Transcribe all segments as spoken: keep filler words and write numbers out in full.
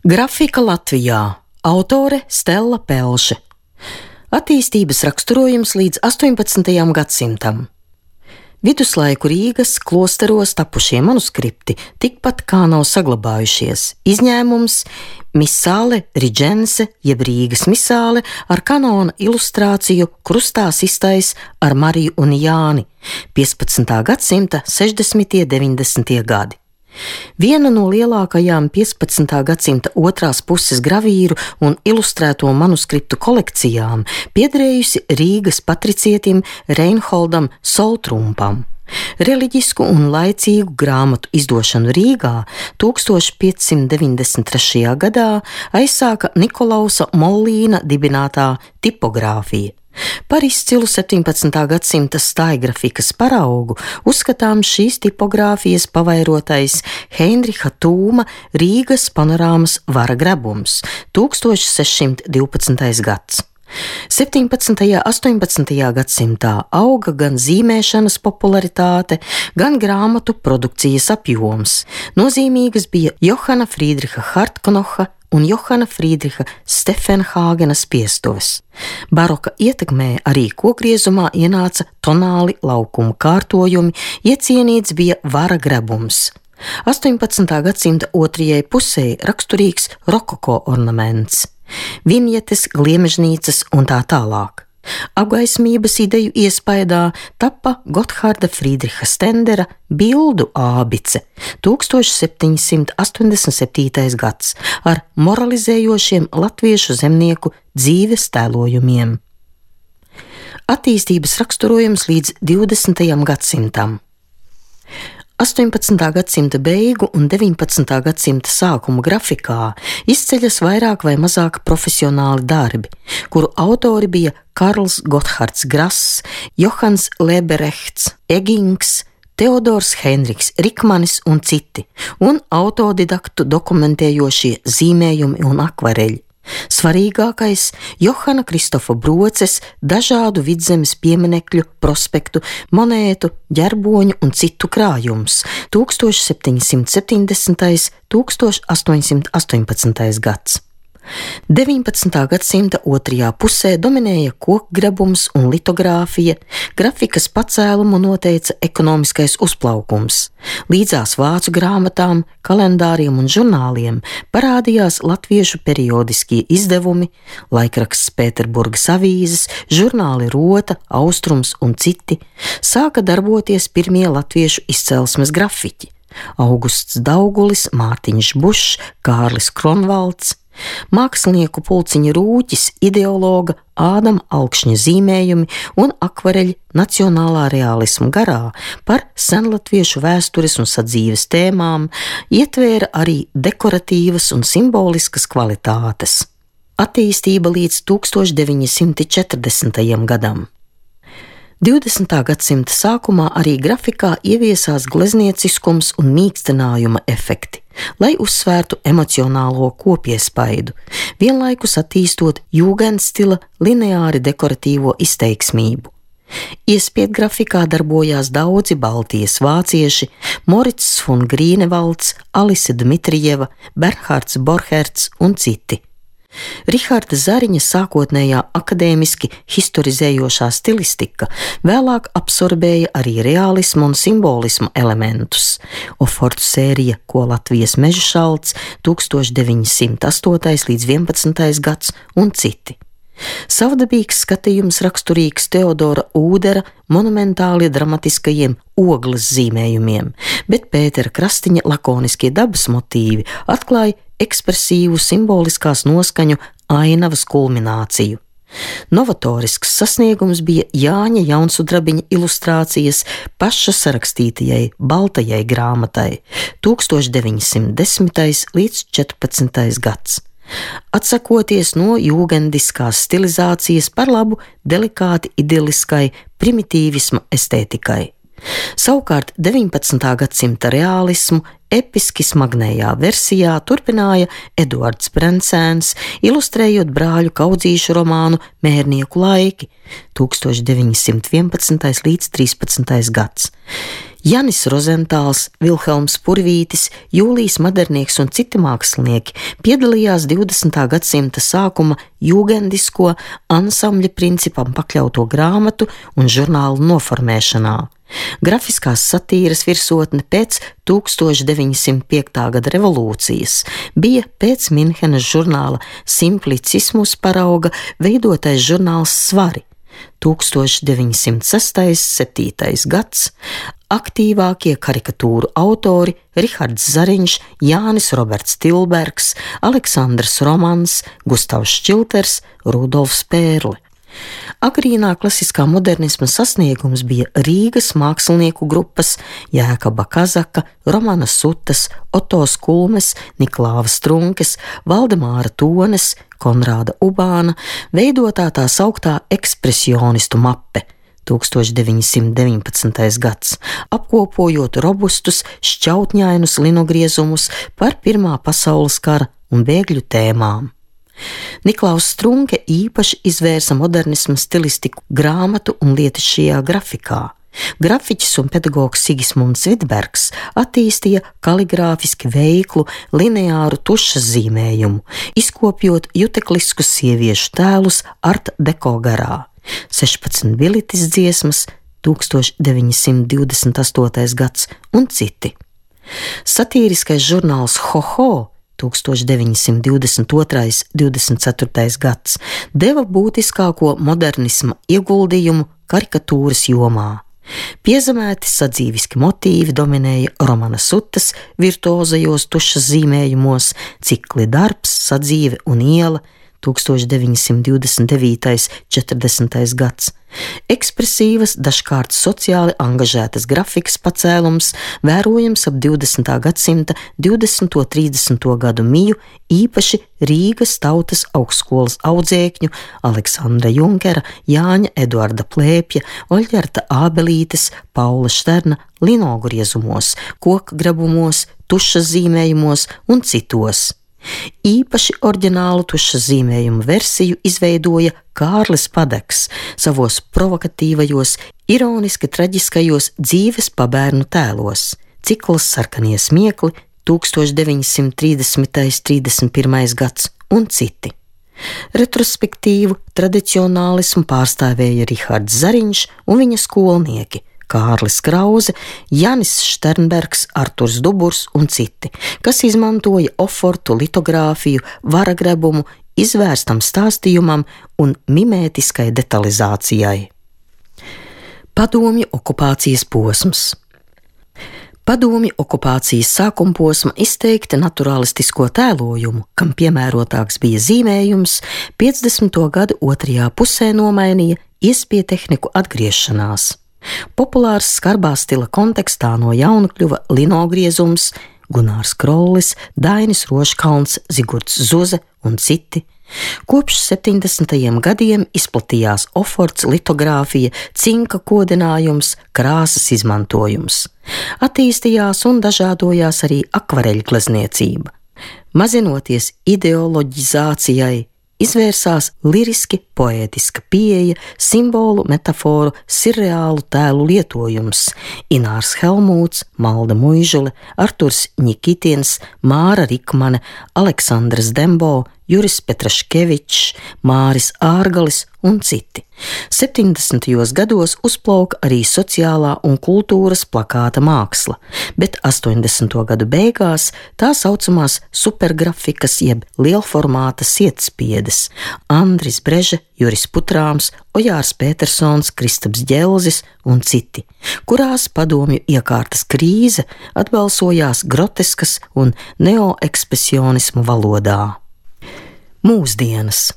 Grafika Latvijā. Autore Stella Pelše. Attīstības raksturojums līdz astoņpadsmitajam gadsimtam. Viduslaiku Rīgas klosteros tapušie manuskripti tikpat kā nav saglabājušies. Izņēmums Misāle Riģense jeb Rīgas misāle ar kanona ilustrāciju krustā sistais ar Mariju un Jāni piecpadsmitā gadsimta sešdesmitie deviņdesmitie gadi. Viena no lielākajām piecpadsmitā gadsimta otrās puses gravīru un ilustrēto manuskriptu kolekcijām piederējusi Rīgas patricietim Reinholdam Soltrumpam. Reliģisku un laicīgu grāmatu izdošanu Rīgā tūkstoš piecsimt deviņdesmit trešajā gadā aizsāka Nikolausa Mollīna dibinātā tipogrāfija. Par izcilu septiņpadsmitā gadsimta stājgrafikas paraugu uzskatām šīs tipogrāfijas pavairotais Heinriha Tūma Rīgas panorāmas vara grebums, tūkstoš sešsimt divpadsmitais gads. septiņpadsmitajā un astoņpadsmitajā gadsimtā auga gan zīmēšanas popularitāte, gan grāmatu produkcijas apjoms. Nozīmīgas bija Johana Friedriha Hartknoha un Johana Friedriha Stefenhāgenas piestuves. Baroka ietekmē arī kokgriezumā ienāca tonāli laukuma kārtojumi, iecienīts bija vara grebums. astoņpadsmitā gadsimta otrajai pusē raksturīgs rokoko ornaments, vinjetes, gliemežnīcas un tā tālāk. Apgaismības ideju iespaidā tappa Gotthārda Friedriha Stendera bildu ābice, tūkstoš septiņsimt astoņdesmit septītais gads, ar moralizējošiem latviešu zemnieku dzīves tēlojumiem. Attīstības raksturojums līdz divdesmitajam gadsimtam. astoņpadsmitā gadsimta beigu un deviņpadsmitā gadsimta sākuma grafikā izceļas vairāk vai mazāk profesionāli darbi, kuru autori bija Karls Gotthārds Grass, Johans Leberechts, Egings, Teodors Henriks Rikmanis un citi, un autodidaktu dokumentējošie zīmējumi un akvareļi. Svarīgākais Johana Kristofa Broces dažādu vidzemes pieminekļu, prospektu, monētu, ģerboņu un citu krājums, tūkstoš septiņsimt septiņdesmitais un tūkstoš astoņsimt astoņpadsmitais gads. deviņpadsmitā gadsimta otrajā pusē dominēja kokgrebums un litogrāfija, grafikas pacēlumu noteica ekonomiskais uzplaukums. Līdzās vācu grāmatām, kalendāriem un žurnāliem parādījās latviešu periodiskie izdevumi, laikraksts Pēterburgas avīzes, žurnāli Rota, Austrums un citi, sāka darboties pirmie latviešu izcelsmes grafiķi – Augusts Daugulis, Mārtiņš Bušs, Kārlis Kronvalds, mākslinieku pulciņa Rūķis, ideologa Ādama Alkšņa zīmējumi un akvareļi nacionālā realisma garā par senlatviešu vēstures un sadzīves tēmām ietvēra arī dekoratīvas un simboliskas kvalitātes. Attīstība līdz tūkstoš deviņsimt četrdesmitajam gadam. divdesmitā gadsimta sākumā arī grafikā ieviesās gleznieciskums un mīkstinājuma efekti, lai uzsvērtu emocionālo kopiespaidu, vienlaikus attīstot jūgendstila lineāri dekoratīvo izteiksmību. Iespiedu grafikā darbojās daudzi Baltijas vācieši – Morits von Grīnevalds, Alise Dmitrijeva, Bernhārds Borherts un citi. Riharda Zariņa sākotnējā akadēmiski historizējošā stilistika vēlāk absorbēja arī realismu un simbolismu elementus. Ofortu sērija Ko Latvijas meža šalts, tūkstoš deviņsimt astotais līdz vienpadsmitais gads un citi. Savdabīgs skatījums raksturīgs Teodora Ūdera monumentāli dramatiskajiem ogles zīmējumiem, bet Pētera Krastiņa lakoniskie dabas motīvi atklāja ekspresīvu simboliskās noskaņu ainavas kulmināciju. Novatorisks sasniegums bija Jāņa Jaunsudrabiņa ilustrācijas paša sarakstītajai baltajai grāmatai, tūkstoš deviņsimt desmitais līdz četrpadsmitais gads. Atsakoties no jūgendiskās stilizācijas par labu delikāti idiliskai primitīvisma estētikai. Savukārt deviņpadsmitā gadsimta reālismu episki smagnējā versijā turpināja Eduards Brencēns, ilustrējot brāļu kaudzīšu romānu Mērnieku laiki, tūkstoš deviņsimt vienpadsmitais līdz trīspadsmitais gads. Janis Rozentāls, Vilhelms Purvītis, Jūlijs Madernieks un citi mākslinieki piedalījās divdesmitā gadsimta sākuma jūgendisko ansambļa principam pakļauto grāmatu un žurnālu noformēšanā. Grafiskās satīras virsotne pēc tūkstoš deviņsimt piekta gada revolūcijas bija pēc Minhenes žurnāla Simplicismus parauga veidotais žurnāls Svari. tūkstoš deviņsimt sestais un septītais gads, aktīvākie karikatūru autori Rihards Zariņš, Jānis Roberts Tilbergs, Aleksandrs Romans, Gustavs Šķilters, Rudolfs Pērle. Agrīnā klasiskā modernisma sasniegums bija Rīgas mākslinieku grupas Jēkaba Kazaka, Romana Sutas, Oto Skulmes, Niklāva Strunkes, Valdemāra Tones, Konrāda Ubāna veidotā tā sauktā ekspresionistu mappe tūkstoš deviņsimt deviņpadsmitais gads, apkopojot robustus, šķautņainus linogriezumus par Pirmā pasaules kara un bēgļu tēmām. Niklaus Strunke īpaši izvērsa modernisma stilistiku grāmatu un lietišķajā grafikā. Grafiķis un pedagogs Sigismunds Vidbergs attīstīja kaligrāfiski veiklu lineāru tušas zīmējumu, izkopjot jutekliskus sieviešu tēlus art deko garā. sešpadsmit bilitis dziesmas, tūkstoš deviņsimt divdesmit astotais gads un citi. Satīriskais žurnāls Ho-Ho tūkstoš deviņsimt divdesmit otrais un divdesmit ceturtais gads deva būtiskāko modernisma ieguldījumu karikatūras jomā. Piezemēti sadzīviski motīvi dominēja Romana Sutas virtuozajos tušas zīmējumos, cikli Darbs, Sadzīve un iela, tūkstoš deviņsimt divdesmit devītais un četrdesmitais gads. Ekspresīvas, dažkārt sociāli angažētas grafikas pacēlums vērojams ap divdesmitā gadsimta divdesmito un trīsdesmito gadu miju, īpaši Rīgas Tautas augstskolas audzēkņu Aleksandra Junkera, Jāņa Eduarda Plēpja, Oļģerta Ābelītes, Paula Šterna linogriezumos, kokgrabumos, tušas zīmējumos un citos. Īpaši oriģinālu tušas zīmējumu versiju izveidoja Kārlis Padeks savos provokatīvajos, ironiski traģiskajos dzīves pabērnu tēlos. Cikls Sarkanie smiekli, tūkstoš deviņsimt trīsdesmitais un trīsdesmit pirmais gads un citi. Retrospektīvu tradicionālismu pārstāvēja Rihards Zariņš un viņa skolnieki Kārlis Krauze, Janis Šternbergs, Arturs Duburs un citi, kas izmantoja ofortu, litogrāfiju, varagrebumu, izvērstam stāstījumam un mimētiskai detalizācijai. Padomju okupācijas posms. Padomju okupācijas sākuma posma izteikti naturalistisko tēlojumu, kam piemērotāks bija zīmējums, piecdesmito gadu otrajā pusē nomainīja iespietehniku atgriešanās. Populārs skarbā stila kontekstā no jauna kļuva linogriezums, Gunārs Krollis, Dainis Roškalns, Zigurds Zuze un citi. Kopš septiņdesmitajiem gadiem izplatījās oforts, litogrāfija, cinka kodinājums, krāsas izmantojums. Attīstījās un dažādojās arī akvareļglezniecība. Mazinoties ideoloģizācijai, izvērsās liriski poētiska pieeja, simbolu, metaforu, sirreālu tēlu lietojums. Inārs Helmūts, Malda Muižule, Arturs Ņikitins, Māra Rikmane, Aleksandrs Dembo, Juris Petraškevičs, Māris Ārgalis un citi. septiņdesmitajos gados uzplauka arī sociālā un kultūras plakāta māksla, bet astoņdesmito gadu beigās tā saucamās supergrafikas jeb lielformāta sietspiedes Andris Breže, Juris Putrāms, Ojārs Pētersons, Kristaps Ģelzis un citi, kurās padomju iekārtas krīze atbalsojās groteskas un neoekspresionismu valodā. Mūsdienas.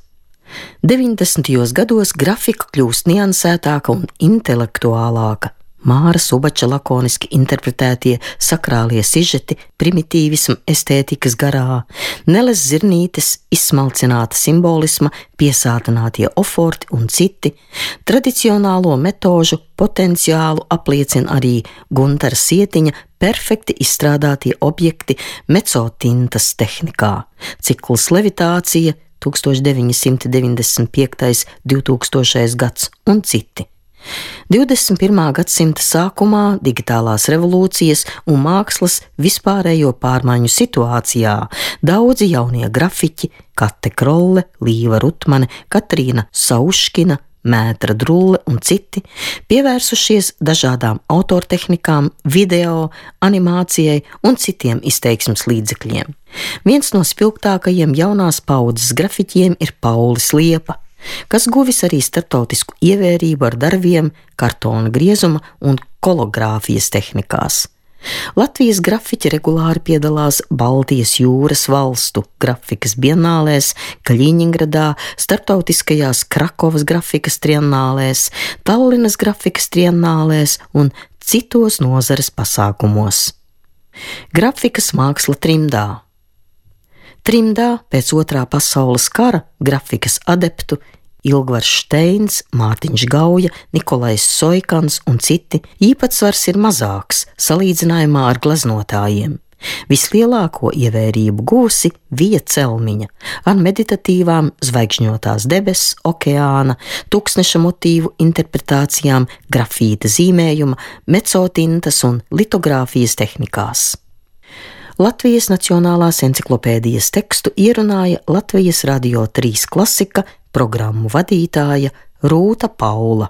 deviņdesmitajos gados grafika kļūst niansētāka un intelektuālāka. Māra Subača lakoniski interpretētie sakrālie sižeti primitīvisma estētikas garā, Neles Zirnītes izsmalcināta simbolisma piesātinātie oforti un citi, tradicionālo metožu potenciālu apliecina arī Guntara Sietiņa perfekti izstrādātie objekti mecotintas tehnikā, cikls Levitācija, tūkstoš deviņsimt deviņdesmit piektais un divtūkstošais gads un citi. divdesmit pirmā gadsimta sākumā digitālās revolūcijas un mākslas vispārējo pārmaiņu situācijā daudzi jaunie grafiķi – Kate Krolle, Līva Rutmane, Katrīna Sauškina, Mētra Drulle un citi – pievērsušies dažādām autortehnikām, video, animācijai un citiem izteiksmes līdzekļiem. Viens no spilgtākajiem jaunās paudzes grafiķiem ir Paulis Liepa, kas guvis arī starptautisku ievērību ar darbiem kartona griezuma un kologrāfijas tehnikās. Latvijas grafiķi regulāri piedalās Baltijas jūras valstu grafikas bienālēs, Kaļiņingradā, starptautiskajās Krakovas grafikas triennālēs, Tallinas grafikas triennālēs un citos nozares pasākumos. Grafikas māksla trimdā. Trimdā pēc otrā pasaules kara grafikas adeptu Ilgvars Šteins, Mārtiņš Gauja, Nikolais Soikans un citi īpatsvars ir mazāks salīdzinājumā ar gleznotājiem. Vislielāko ievērību guvusi Vija Celmiņa ar meditatīvām zvaigžņotās debesis, okeāna, tūkstneša motīvu interpretācijām, grafīta zīmējuma, mecotintas un litogrāfijas tehnikās. Latvijas Nacionālās enciklopēdijas tekstu ierunāja Latvijas Radio trīs klasika programmu vadītāja Rūta Paula.